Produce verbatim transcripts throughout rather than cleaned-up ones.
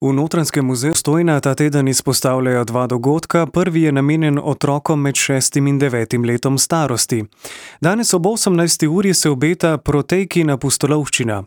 V Notranjskem muzeju Postojna ta teden izpostavljajo dva dogodka. Prvi je namenjen otrokom med šestim in devetim letom starosti. Danes ob osemnajsti uri se obeta Protejkina pustolovščina.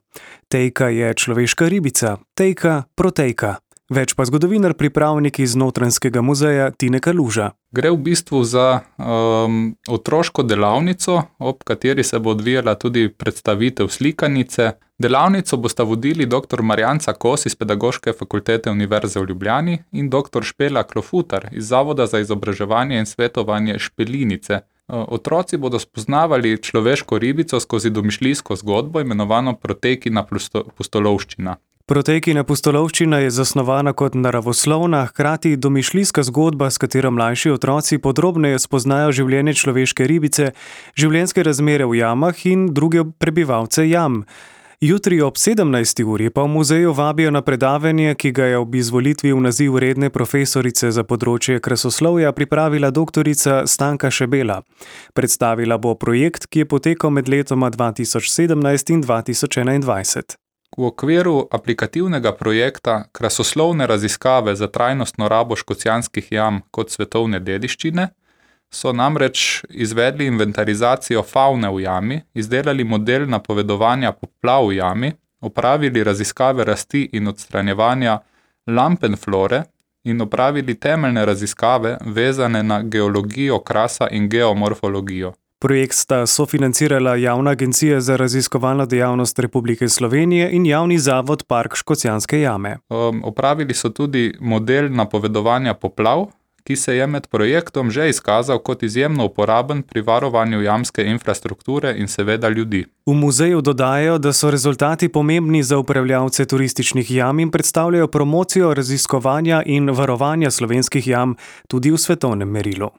Tejka je človeška ribica, tejka protejka. Več pa zgodovinar pripravnik iz Notranjskega muzeja Tine Kaluža. Gre v bistvu za um, otroško delavnico, ob kateri se bo odvijala tudi predstavitev slikanice. Delavnico bosta vodili doktor Marjanca Kos iz Pedagoške fakultete Univerze v Ljubljani in doktor Špela Klofutar iz Zavoda za izobraževanje in svetovanje Špelinice. Otroci bodo spoznavali človeško ribico skozi domišljijsko zgodbo, imenovano Protejkina pustolovščina. Protejkina pustolovščina je zasnovana kot naravoslovna, hkrati domišljijska zgodba, s katero mlajši otroci podrobneje spoznajo življenje človeške ribice, življenjske razmere v jamah in druge prebivalce jam. Jutri ob sedemnajsti uri pa v muzeju vabijo na predavanje, ki ga je ob izvolitvi v naziv redne profesorice za področje krasoslovja pripravila doktorica Stanka Šebela. Predstavila bo projekt, ki je potekal med letoma dva tisoč sedemnajst in dva tisoč enaindvajset. V okviru aplikativnega projekta Krasoslovne raziskave za trajnostno rabo Škocjanskih jam kot svetovne dediščine so namreč izvedli inventarizacijo favne v jami, izdelali model napovedovanja poplav v jami, opravili raziskave rasti in odstranjevanja lampenflore in opravili temeljne raziskave vezane na geologijo krasa in geomorfologijo. Projekt sta sofinancirala Javna agencija za raziskovalno dejavnost Republike Slovenije in Javni zavod Park Škocjanske jame. Um, opravili so tudi model napovedovanja poplav, ki se je med projektom že izkazal kot izjemno uporaben pri varovanju jamske infrastrukture in seveda ljudi. V muzeju dodajajo, da so rezultati pomembni za upravljavce turističnih jam in predstavljajo promocijo raziskovanja in varovanja slovenskih jam tudi v svetovnem merilu.